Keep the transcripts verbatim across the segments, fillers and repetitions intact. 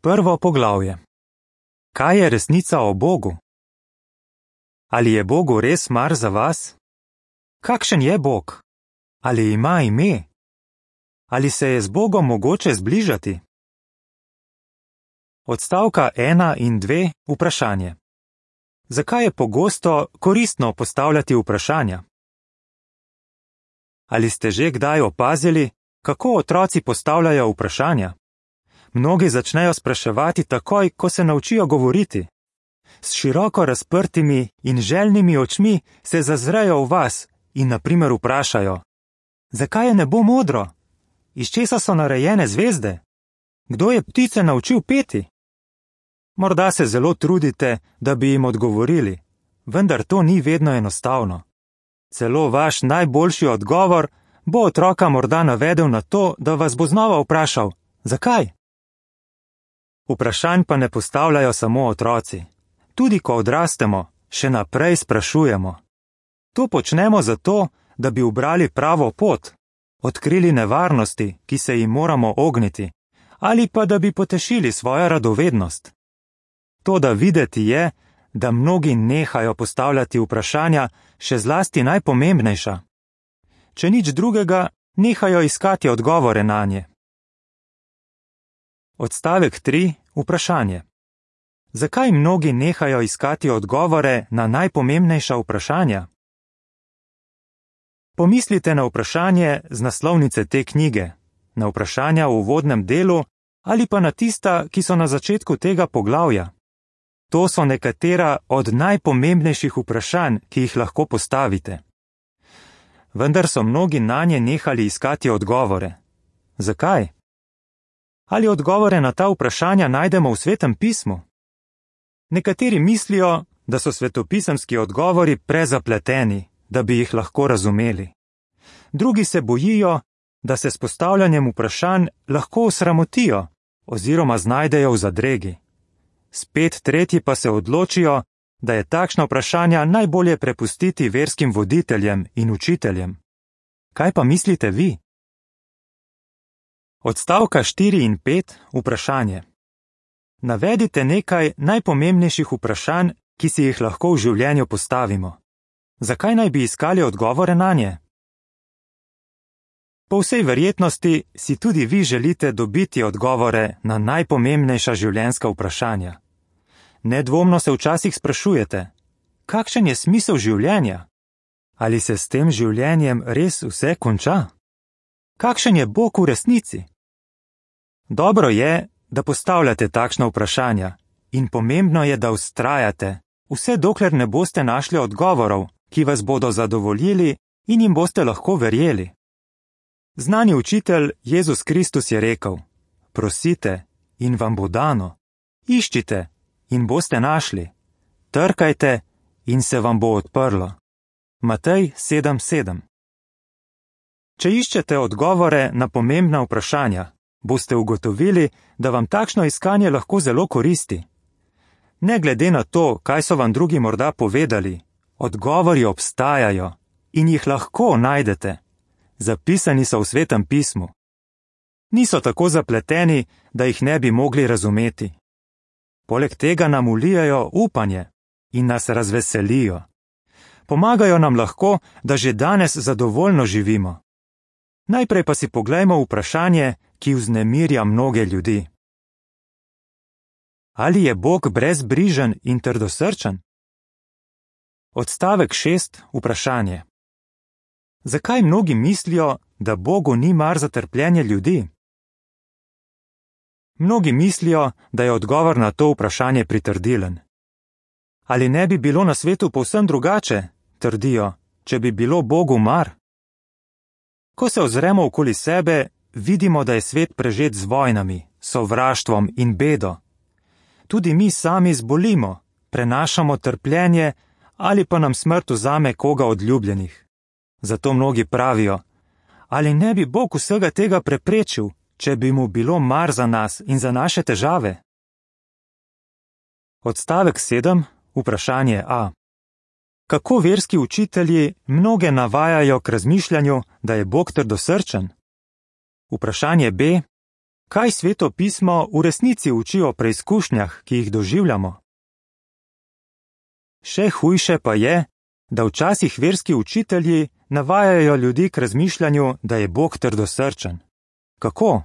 Prvo poglavje. Kaj je resnica o Bogu? Ali je Bogu res mar za vas? Kakšen je Bog? Ali ima ime? Ali se je z Bogom mogoče zbližati? Odstavka ena in dve vprašanje. Zakaj je pogosto koristno postavljati vprašanja? Ali ste že kdaj opazili, kako otroci postavljajo vprašanja? Mnogi začnejo spraševati takoj, ko se naučijo govoriti. S široko razprtimi in željnimi očmi se zazrejo v vas in na primer vprašajo: zakaj je nebo modro? Iz česa so narejene zvezde? Kdo je ptice naučil peti? Morda se zelo trudite, da bi jim odgovorili, vendar to ni vedno enostavno. Celo vaš najboljši odgovor bo otroka morda navedel na to, da vas bo znova vprašal: zakaj? Vprašanj pa ne postavljajo samo otroci. Tudi ko odrastemo, še naprej sprašujemo. To počnemo zato, da bi ubrali pravo pot, odkrili nevarnosti, ki se jim moramo ogniti, ali pa da bi potešili svojo radovednost. Toda videti je, da mnogi nehajo postavljati vprašanja, še zlasti najpomembnejša. Če nič drugega, nehajo iskati odgovore nanje. Odstavek tri. Vprašanje. Zakaj mnogi nehajo iskati odgovore na najpomembnejša vprašanja? Pomislite na vprašanje z naslovnice te knjige, na vprašanja v uvodnem delu ali pa na tista, ki so na začetku tega poglavja. To so nekatera od najpomembnejših vprašanj, ki jih lahko postavite. Vendar so mnogi nanje nehali iskati odgovore. Zakaj? Ali odgovore na ta vprašanja najdemo v Svetem pismu? Nekateri mislijo, da so svetopisemski odgovori prezapleteni, da bi jih lahko razumeli. Drugi se bojijo, da se s postavljanjem vprašanj lahko osramotijo oziroma znajdejo v zadregi. Spet tretji pa se odločijo, da je takšna vprašanja najbolje prepustiti verskim voditeljem in učiteljem. Kaj pa mislite vi? Odstavka štiri in pet. Vprašanje. Navedite nekaj najpomembnejših vprašanj, ki si jih lahko v življenju postavimo. Zakaj naj bi iskali odgovore nanje? Po vsej verjetnosti si tudi vi želite dobiti odgovore na najpomembnejša življenjska vprašanja. Nedvomno se včasih sprašujete: kakšen je smisel življenja? Ali se s tem življenjem res vse konča? Kakšen je Bog v resnici? Dobro je, da postavljate takšna vprašanja in pomembno je, da vztrajate, vse dokler ne boste našli odgovorov, ki vas bodo zadovoljili in jim boste lahko verjeli. Znani učitelj Jezus Kristus je rekel: prosite in vam bo dano, iščite in boste našli, trkajte in se vam bo odprlo. Matej sedem sedem. Če iščete odgovore na pomembna vprašanja, boste ugotovili, da vam takšno iskanje lahko zelo koristi. Ne glede na to, kaj so vam drugi morda povedali, odgovori obstajajo in jih lahko najdete. Zapisani so v Svetem pismu. Niso tako zapleteni, da jih ne bi mogli razumeti. Poleg tega nam vlijajo upanje in nas razveselijo. Pomagajo nam lahko, da že danes zadovoljno živimo. Najprej pa si poglejmo vprašanje, ki vznemirja mnoge ljudi. Ali je Bog brezbrižen in trdosrčen? Odstavek šest. Vprašanje. Zakaj mnogi mislijo, da Bogu ni mar za trpljenje ljudi? Mnogi mislijo, da je odgovor na to vprašanje pritrdilen. Ali ne bi bilo na svetu povsem drugače, trdijo, če bi bilo Bogu mar? Ko se ozremo okoli sebe, vidimo, da je svet prežet z vojnami, sovraštvom in bedo. Tudi mi sami zbolimo, prenašamo trpljenje ali pa nam smrt vzame koga od ljubljenih. Zato mnogi pravijo: ali ne bi Bog vsega tega preprečil, če bi mu bilo mar za nas in za naše težave? Odstavek sedem. Vprašanje A. Kako verski učitelji mnoge navajajo k razmišljanju, da je Bog trdosrčen? Vprašanje B. Kaj Sveto pismo v resnici uči o preizkušnjah, ki jih doživljamo? Še hujše pa je, da včasih verski učitelji navajajo ljudi k razmišljanju, da je Bog trdosrčen. Kako?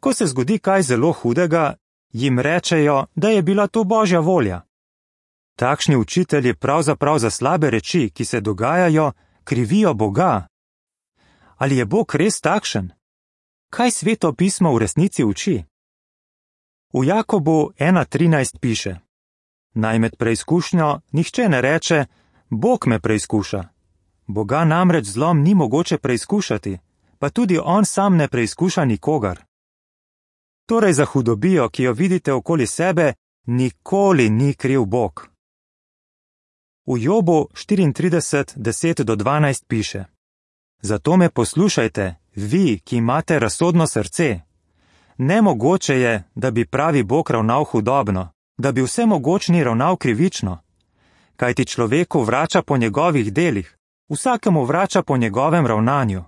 Ko se zgodi kaj zelo hudega, jim rečejo, da je bila to Božja volja. Takšni učitelji pravzaprav za slabe reči, ki se dogajajo, krivijo Boga. Ali je Bog res takšen? Kaj Sveto pismo v resnici uči? V Jakobu ena trinajst piše: Naj med preizkušnjo nihče ne reče, Bog me preizkuša. Boga namreč zlom ni mogoče preizkušati, pa tudi on sam ne preizkuša nikogar. Torej za hudobijo, ki jo vidite okoli sebe, nikoli ni kriv Bog. V Jobu štiriintrideset deset do dvanajst piše: Zato me poslušajte, vi, ki imate razsodno srce. Nemogoče je, da bi pravi Bog ravnal hudobno, da bi vsemogočni ravnal krivično. Kajti človeku vrača po njegovih delih, vsakemu vrača po njegovem ravnanju.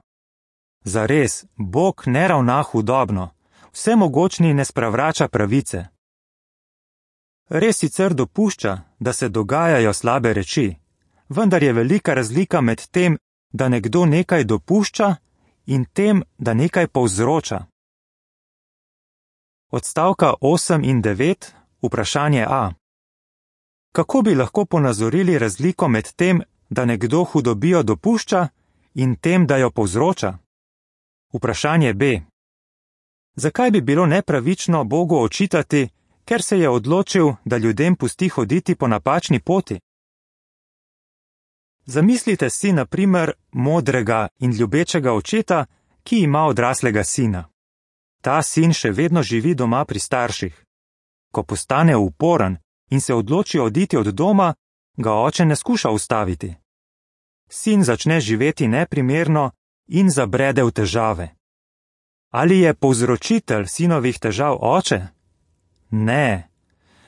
Zares, Bog ne ravna hudobno, vsemogočni ne spravrača pravice. Res sicer dopušča, da se dogajajo slabe reči, vendar je velika razlika med tem, da nekdo nekaj dopušča in tem, da nekaj povzroča. Odstavka osem in devet, vprašanje A. Kako bi lahko ponazorili razliko med tem, da nekdo hudobijo dopušča in tem, da jo povzroča? Vprašanje B. Zakaj bi bilo nepravično Bogu očitati, ker se je odločil, da ljudem pusti hoditi po napačni poti? Zamislite si na primer modrega in ljubečega očeta, ki ima odraslega sina. Ta sin še vedno živi doma pri starših. Ko postane uporen in se odloči oditi od doma, ga oče ne skuša ustaviti. Sin začne živeti neprimerno in zabrede v težave. Ali je povzročitelj sinovih težav oče? Ne.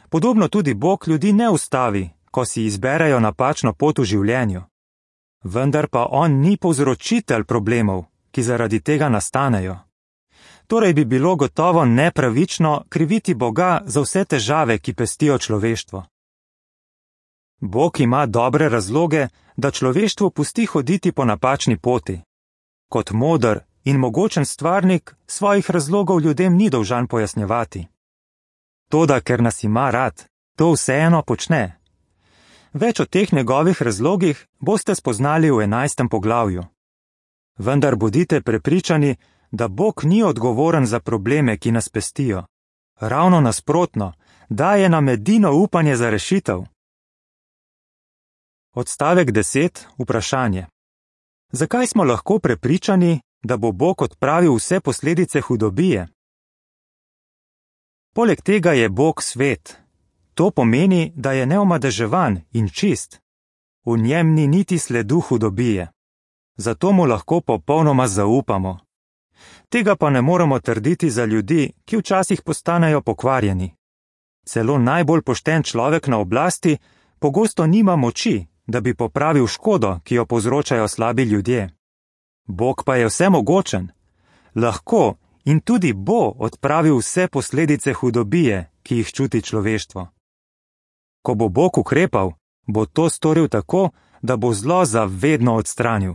Podobno tudi Bog ljudi ne ustavi, ko si izberejo napačno pot v življenju. Vendar pa on ni povzročitelj problemov, ki zaradi tega nastanejo. Torej bi bilo gotovo nepravično kriviti Boga za vse težave, ki pestijo človeštvo. Bog ima dobre razloge, da človeštvo pusti hoditi po napačni poti. Kot moder in mogočen stvarnik svojih razlogov ljudem ni dolžan pojasnjevati. Toda, ker nas ima rad, to vseeno počne. Več o teh njegovih razlogih boste spoznali v enajstem poglavju. Vendar bodite prepričani, da Bog ni odgovoren za probleme, ki nas pestijo. Ravno nasprotno, daje nam edino upanje za rešitev. Odstavek deset, vprašanje. Zakaj smo lahko prepričani, da bo Bog odpravil vse posledice hudobije? Poleg tega je Bog svet. To pomeni, da je neomadeževan in čist. V njem ni niti sledu hudobije. Zato mu lahko popolnoma zaupamo. Tega pa ne moremo trditi za ljudi, ki včasih postanejo pokvarjeni. Celo najbolj pošten človek na oblasti pogosto nima moči, da bi popravil škodo, ki jo povzročajo slabi ljudje. Bog pa je vsemogočen. Lahko in tudi bo odpravil vse posledice hudobije, ki jih čuti človeštvo. Ko bo Bog ukrepal, bo to storil tako, da bo zlo zavedno odstranil.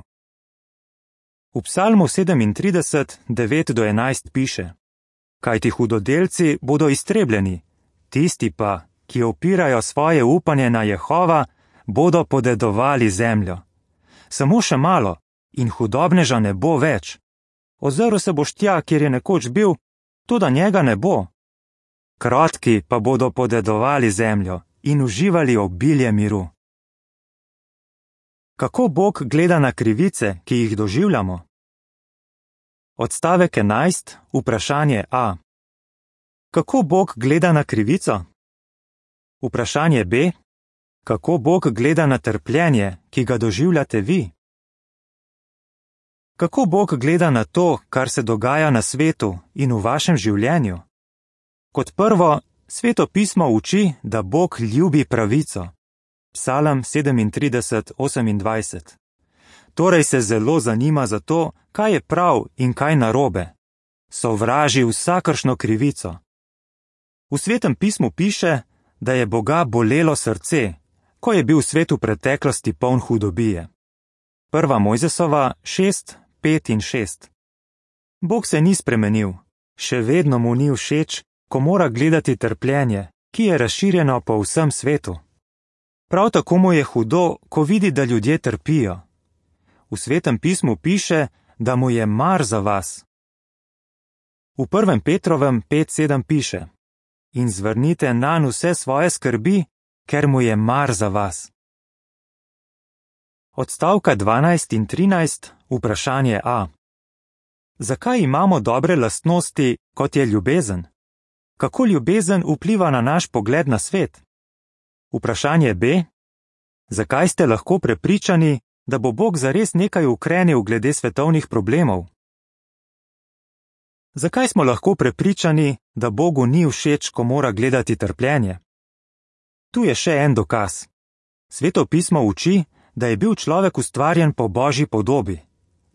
V Psalmu sedemintrideset, devet do enajst piše: Kajti hudodelci bodo iztrebljeni, tisti pa, ki opirajo svoje upanje na Jehova, bodo podedovali zemljo. Samo še malo in hudobneža ne bo več. Ozrl se boš tja, kjer je nekoč bil, toda njega ne bo. Krotki pa bodo podedovali zemljo in uživali obilje miru. Kako Bog gleda na krivice, ki jih doživljamo? Odstavek enajst, vprašanje A. Kako Bog gleda na krivico? Vprašanje B. Kako Bog gleda na trpljenje, ki ga doživljate vi? Kako Bog gleda na to, kar se dogaja na svetu in v vašem življenju? Kot prvo, Sveto pismo uči, da Bog ljubi pravico. Psalm sedemintrideset, osemindvajset. Torej se zelo zanima za to, kaj je prav in kaj narobe. sovraži vsakršno krivico. V Svetem pismu piše, da je Boga bolelo srce, ko je bil svet v preteklosti poln hudobije. Prva Mojzesova šest, pet in šest. Bog se ni spremenil, še vedno mu ni všeč, ko mora gledati trpljenje, ki je razširjeno po vsem svetu. Prav tako mu je hudo, ko vidi, da ljudje trpijo. V Svetem pismu piše, da mu je mar za vas. V prvem Petrovem pet sedem piše: In zvrnite nanj vse svoje skrbi, ker mu je mar za vas. Odstavka dvanajst in trinajst, vprašanje A. Zakaj imamo dobre lastnosti, kot je ljubezen? Kako ljubezen vpliva na naš pogled na svet? Vprašanje B. Zakaj ste lahko prepričani, da bo Bog zares nekaj ukrenil glede svetovnih problemov? Zakaj smo lahko prepričani, da Bogu ni všeč, ko mora gledati trpljenje? Tu je še en dokaz. Sveto pismo uči, da je bil človek ustvarjen po Božji podobi.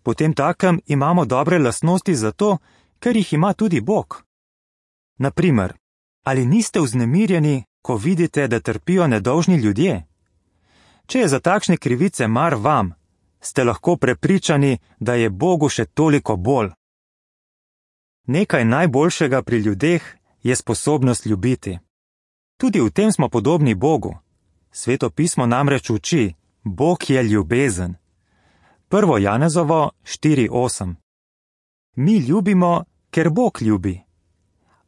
Potem takem imamo dobre lastnosti zato, ker jih ima tudi Bog. Naprimer, ali niste vznemirjeni, ko vidite, da trpijo nedolžni ljudje? Če je za takšne krivice mar vam, ste lahko prepričani, da je Bogu še toliko bolj. Nekaj najboljšega pri ljudeh je sposobnost ljubiti. Tudi v tem smo podobni Bogu. Sveto pismo namreč uči, Bog je ljubezen. Prvo Janezovo štiri osem. Mi ljubimo, ker Bog ljubi.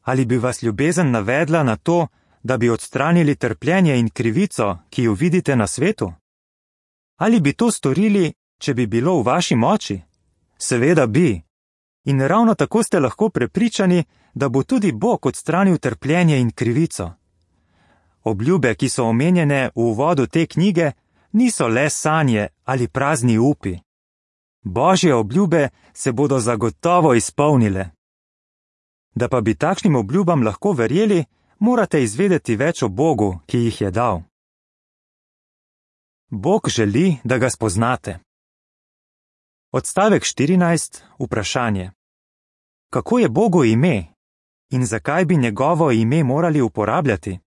Ali bi vas ljubezen navedla na to, da bi odstranili trpljenje in krivico, ki jo vidite na svetu? Ali bi to storili, če bi bilo v vaši moči? Seveda bi. In ravno tako ste lahko prepričani, da bo tudi Bog odstranil trpljenje in krivico. Obljube, ki so omenjene v uvodu te knjige, niso le sanje ali prazni upi. Božje obljube se bodo zagotovo izpolnile. Da pa bi takšnim obljubam lahko verjeli, morate izvedeti več o Bogu, ki jih je dal. Bog želi, da ga spoznate. Odstavek štirinajst, vprašanje. Kako je Bogu ime in zakaj bi njegovo ime morali uporabljati?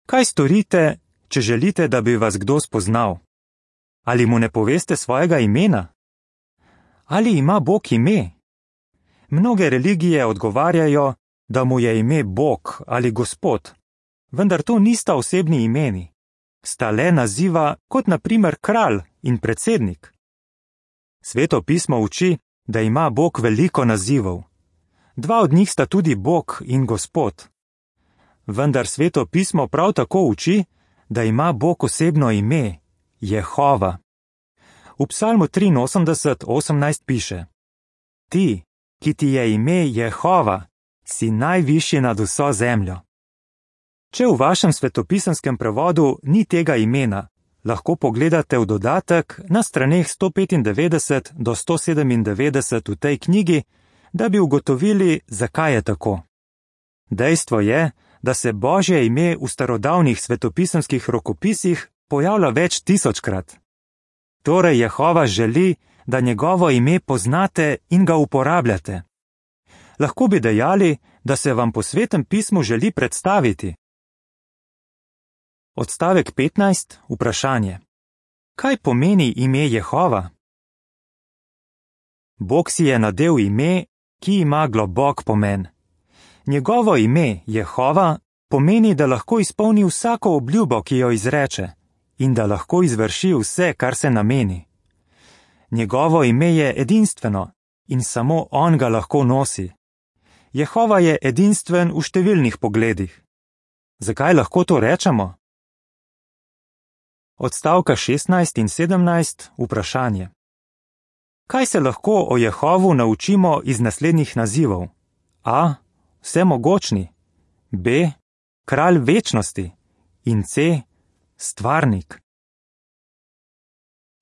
Kaj storite, če želite, da bi vas kdo spoznal? Ali mu ne poveste svojega imena? Ali ima Bog ime? Mnoge religije odgovarjajo, da mu je ime Bog ali Gospod, vendar to nista osebni imeni. Sta le naziva kot na primer kralj in predsednik. Sveto pismo uči, da ima Bog veliko nazivov. Dva od njih sta tudi Bog in Gospod. Vendar Sveto pismo prav tako uči, da ima Bog osebno ime, Jehova. V Psalmu triinosemdeset osemnajst piše: Ti, ki ti je ime Jehova, si najvišji nad vso zemljo. Če v vašem svetopisenskem prevodu ni tega imena, lahko pogledate v dodatek na straneh sto petindevetdeset do sto sedemindevetdeset v tej knjigi, da bi ugotovili, zakaj je tako. Dejstvo je, da se Božje ime v starodavnih svetopisemskih rokopisih pojavlja več tisočkrat. Torej Jehova želi, da njegovo ime poznate in ga uporabljate. Lahko bi dejali, da se vam po Svetem pismu želi predstaviti. Odstavek petnajst, vprašanje. Kaj pomeni ime Jehova? Bog si je nadel ime, ki ima globok pomen. Njegovo ime, Jehova, pomeni, da lahko izpolni vsako obljubo, ki jo izreče, in da lahko izvrši vse, kar se nameni. Njegovo ime je edinstveno in samo on ga lahko nosi. Jehova je edinstven v številnih pogledih. Zakaj lahko to rečemo? Odstavka šestnajst in sedemnajst, vprašanje. Kaj se lahko o Jehovu naučimo iz naslednjih nazivov? A. Vsemogočni. B. Kralj večnosti. In C. Stvarnik.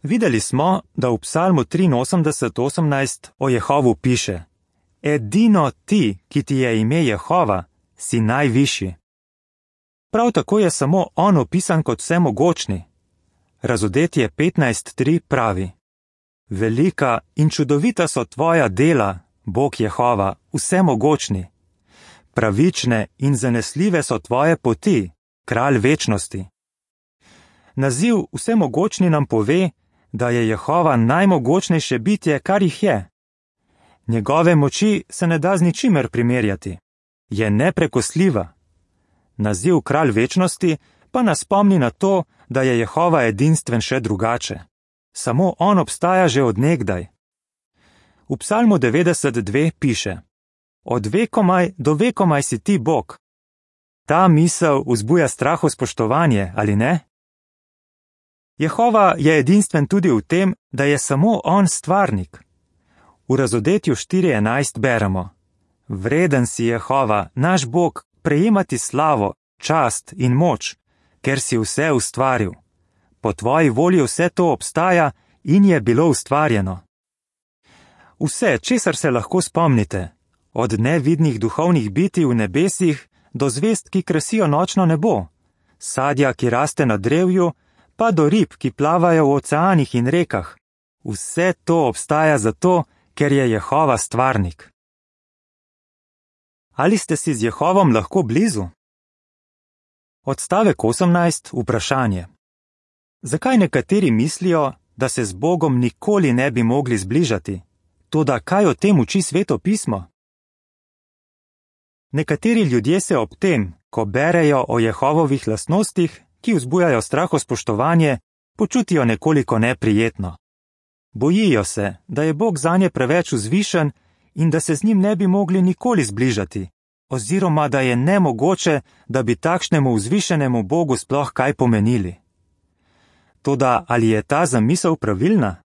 Videli smo, da v Psalmu triinosemdeset osemnajst o Jehovu piše: Edino ti, ki ti je ime Jehova, si najvišji. Prav tako je samo on opisan kot vsemogočni. Razodetje petnajst tri pravi: Velika in čudovita so tvoja dela, Bog Jehova, vsemogočni. Pravične in zanesljive so tvoje poti, kralj večnosti. Naziv vsemogočni nam pove, da je Jehova najmogočnejše bitje, kar jih je. Njegove moči se ne da z ničimer primerjati. Je neprekosljiva. Naziv kralj večnosti pa nas spomni na to, da je Jehova edinstven še drugače. Samo on obstaja že od nekdaj. V Psalmu devetdeset dve piše: Od vekomaj do vekomaj si ti Bog. Ta misel vzbuja strahospoštovanje, ali ne? Jehova je edinstven tudi v tem, da je samo on stvarnik. V Razodetju štiri enajst beremo: Vreden si Jehova, naš Bog, prejemati slavo, čast in moč, ker si vse ustvaril. Po tvoji volji vse to obstaja in je bilo ustvarjeno. Vse, česar se lahko spomnite, od nevidnih duhovnih bitij v nebesih do zvezd, ki krasijo nočno nebo, sadja, ki raste na drevju, pa do rib, ki plavajo v oceanih in rekah. Vse to obstaja zato, ker je Jehova stvarnik. Ali ste si z Jehovom lahko blizu? Odstavek osemnajst, vprašanje. Zakaj nekateri mislijo, da se z Bogom nikoli ne bi mogli zbližati? Toda kaj o tem uči Sveto pismo? Nekateri ljudje se ob tem, ko berejo o Jehovovih lastnostih, ki vzbujajo strahospoštovanje, počutijo nekoliko neprijetno. Bojijo se, da je Bog zanje preveč vzvišen in da se z njim ne bi mogli nikoli zbližati, oziroma da je nemogoče, da bi takšnemu vzvišenemu Bogu sploh kaj pomenili. Toda ali je ta zamisel pravilna?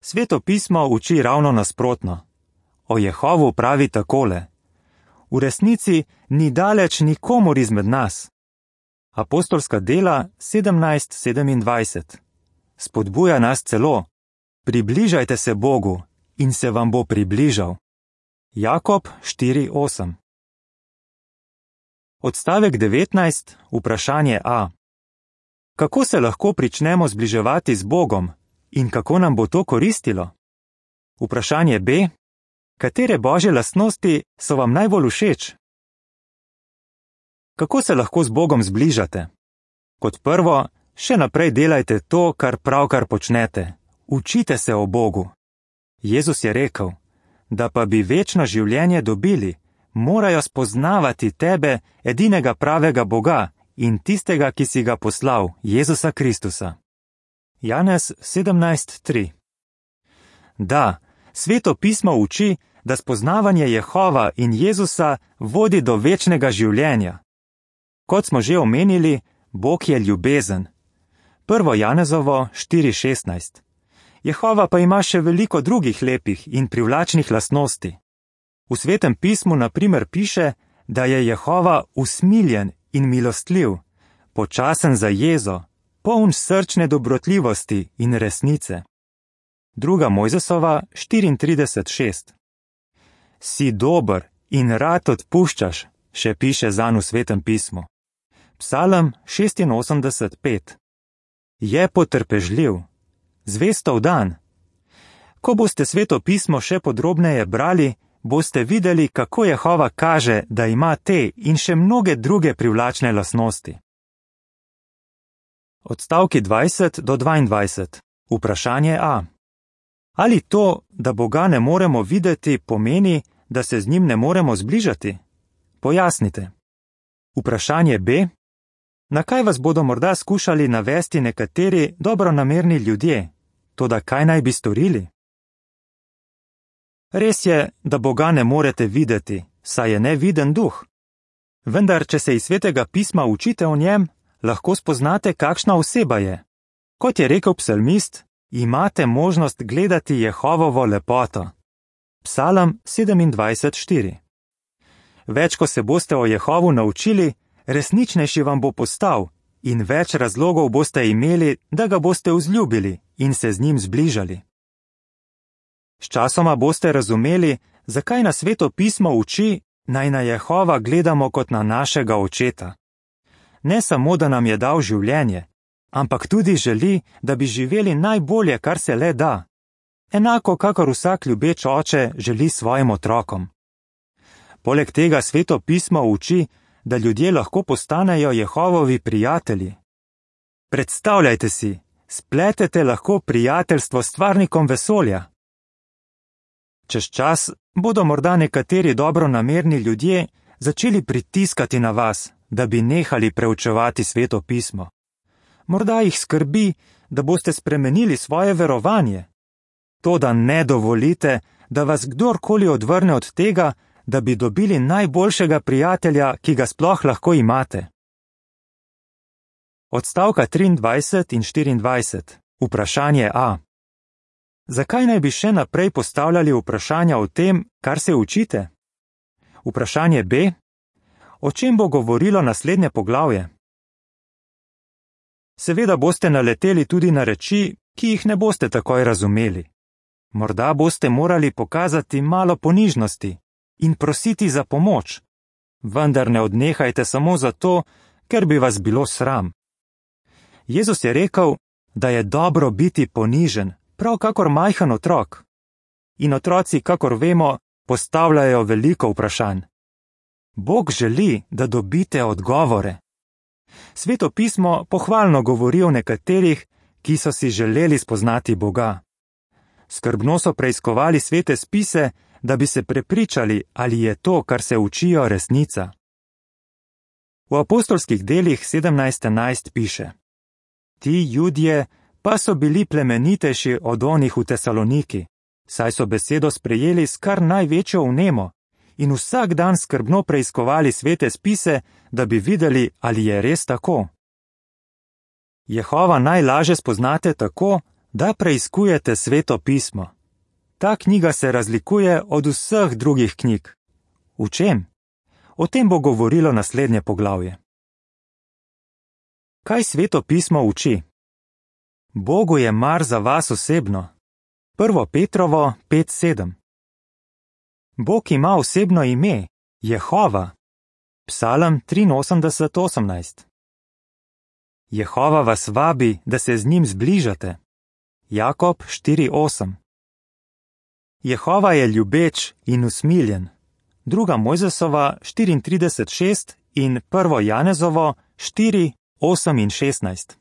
Sveto pismo uči ravno nasprotno. O Jehovu pravi takole: V resnici ni daleč nikomur izmed nas. Apostolska dela sedemnajst sedemindvajset. Spodbuja nas celo: Približajte se Bogu in se vam bo približal. Jakob štiri osem. Odstavek devetnajst, vprašanje A. Kako se lahko pričnemo zbliževati z Bogom in kako nam bo to koristilo? Vprašanje B. Katere božje lastnosti so vam najbolj všeč? Kako se lahko z Bogom zbližate? Kot prvo, še naprej delajte to, kar pravkar počnete. Učite se o Bogu. Jezus je rekel, da pa bi večno življenje dobili, morajo spoznavati tebe, edinega pravega Boga in tistega, ki si ga poslal, Jezusa Kristusa. Janez sedemnajst tri. Da, Sveto pismo uči, da spoznavanje Jehova in Jezusa vodi do večnega življenja. Kot smo že omenili, Bog je ljubezen. Prvo Janezovo štiri šestnajst. Jehova pa ima še veliko drugih lepih in privlačnih lastnosti. V Svetem pismu na primer piše, da je Jehova usmiljen in milostljiv, počasen za jezo, poln srčne dobrotljivosti in resnice. Druga Mojzesova štiriintrideset šest. Si dober in rad odpuščaš, še piše zanj v Svetem pismu. Psalm šestinosemdeset pet. Je potrpežljiv, zvestov dan. Ko boste Sveto pismo še podrobneje brali, boste videli, kako Jehova kaže, da ima te in še mnoge druge privlačne lastnosti. Odstavki dvajset do dvaindvajset. Vprašanje A. Ali to, da Boga ne moremo videti, pomeni, da se z njim ne moremo zbližati? Pojasnite. Vprašanje B. Na kaj vas bodo morda skušali navesti nekateri dobronamerni ljudje? Toda kaj naj bi storili? Res je, da Boga ne morete videti, saj je neviden duh. Vendar, če se iz Svetega pisma učite o njem, lahko spoznate, kakšna oseba je. Kot je rekel psalmist, imate možnost gledati Jehovovo lepoto. Psalm sedemindvajset štiri. Več, ko se boste o Jehovu naučili, resničnejši vam bo postal in več razlogov boste imeli, da ga boste vzljubili in se z njim zbližali. Sčasoma boste razumeli, zakaj nas Sveto pismo uči, naj na Jehova gledamo kot na našega očeta. Ne samo, da nam je dal življenje, ampak tudi želi, da bi živeli najbolje, kar se le da. enako kakor vsak ljubeč oče želi svojim otrokom. Poleg tega Sveto pismo uči, da ljudje lahko postanejo Jehovovi prijatelji. Predstavljajte si, spletete lahko prijateljstvo s stvarnikom vesolja. Čez čas bodo morda nekateri dobronamerni ljudje začeli pritiskati na vas, da bi nehali preučevati Sveto pismo. Morda jih skrbi, da boste spremenili svoje verovanje. Toda ne dovolite, da vas kdorkoli odvrne od tega, da bi dobili najboljšega prijatelja, ki ga sploh lahko imate. Odstavka triindvajset in štiriindvajset. Vprašanje A. Zakaj naj bi še naprej postavljali vprašanja o tem, kar se učite? Vprašanje B. O čem bo govorilo naslednje poglavje? Seveda boste naleteli tudi na reči, ki jih ne boste takoj razumeli. Morda boste morali pokazati malo ponižnosti in prositi za pomoč, vendar ne odnehajte samo zato, ker bi vas bilo sram. Jezus je rekel, da je dobro biti ponižen, prav kakor majhen otrok. In otroci, kakor vemo, postavljajo veliko vprašanj. Bog želi, da dobite odgovore. Sveto pismo pohvalno govori o nekaterih, ki so si želeli spoznati Boga. Skrbno so preiskovali svete spise, da bi se prepričali, ali je to, kar se učijo, resnica. V apostolskih delih sedemnajst enajst piše: Ti Judje pa so bili plemenitejši od onih v Tesaloniki, saj so besedo sprejeli s kar največjo vnemo in vsak dan skrbno preiskovali svete spise, da bi videli, ali je res tako. Jehova najlaže spoznate tako, da preiskujete Sveto pismo. Ta knjiga se razlikuje od vseh drugih knjig. V čem? O tem bo govorilo naslednje poglavje. Kaj Sveto pismo uči? Bogu je mar za vas osebno. Prvo Petrovo pet sedem. Bog ima osebno ime, Jehova. Psalm triinosemdeset osemnajst. Jehova vas vabi, da se z njim zbližate. Jakob štiri osem. Jehova je ljubeč in usmiljen. Druga Mojzesova štiriintrideset šest in prvo Janezovo štiri osem in šestnajst.